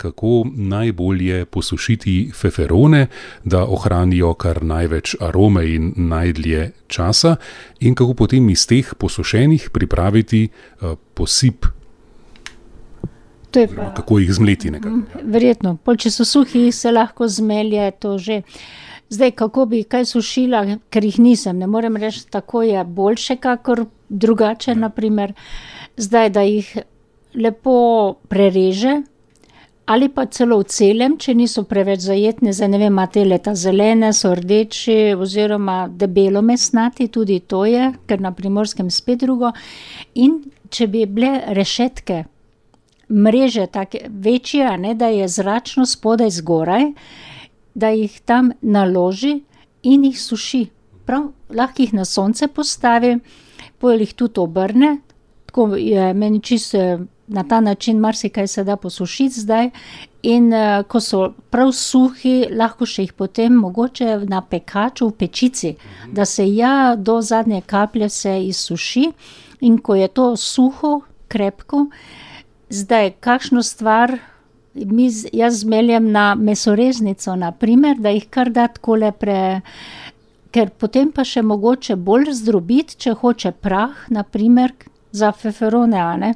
kako najbolje posušiti feferone, da ohranijo kar največ arome in najdlje časa, in kako potem iz teh posušenih pripraviti posip. Kako jih zmleti nekako. Verjetno, če so suhi, se lahko zmelje to že. Zdaj, kako bi kaj sušila, ker jih nisem, ne morem reči, tako je boljše, kakor drugače, naprimer. Zdaj, da jih lepo prereže, ali pa celo v celem, če niso preveč zajetne, zdaj ne vem, imate leta zelene, so rdeči, oziroma debelo mesnati, tudi to je, ker na Primorskem spet drugo. In če bi bile rešetke, mreže take večje, a ne, da je zračno spodaj zgoraj, da jih tam naloži in jih suši. Prav, lahko jih na sonce postavi, potem jih tudi obrne, tako je meni čisto na ta način marsikaj se da posušiti zdaj, in ko so prav suhi, lahko še jih potem mogoče na pekaču v pečici, da se do zadnje kaplje se izsuši, in ko je to suho, krepko, zdaj kakšno stvar jaz zmeljem na mesoreznico, naprimer, da jih kar da takole ker potem pa še mogoče bolj zdrobiti, če hoče prah, naprimer, za feferone, a ne,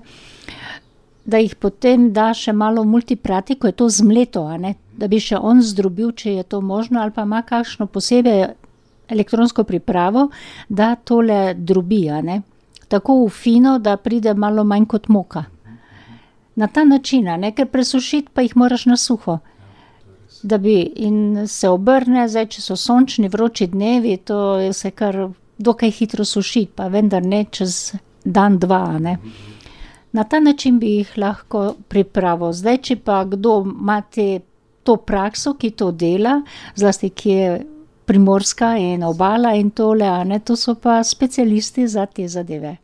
da jih potem da še malo v multiprati, ko je to zmleto, a ne, da bi še on zdrobil, če je to možno, ali pa ima kakšno posebej elektronsko pripravo, da tole drobi, a ne, tako v fino, da pride malo manj kot moka. Na ta način, a ne, ker presušiti pa jih moraš na suho. Da bi in se obrne, zdaj, če so sončni, vroči dnevi, to se kar dokaj hitro suši, pa vendar ne čez dan, dva, a ne. Na ta način bi jih lahko pripravil. Zdaj, če pa kdo ima to prakso, ki to dela, zlasti ki je Primorska in obala in tole, a ne, to so pa specialisti za te zadeve.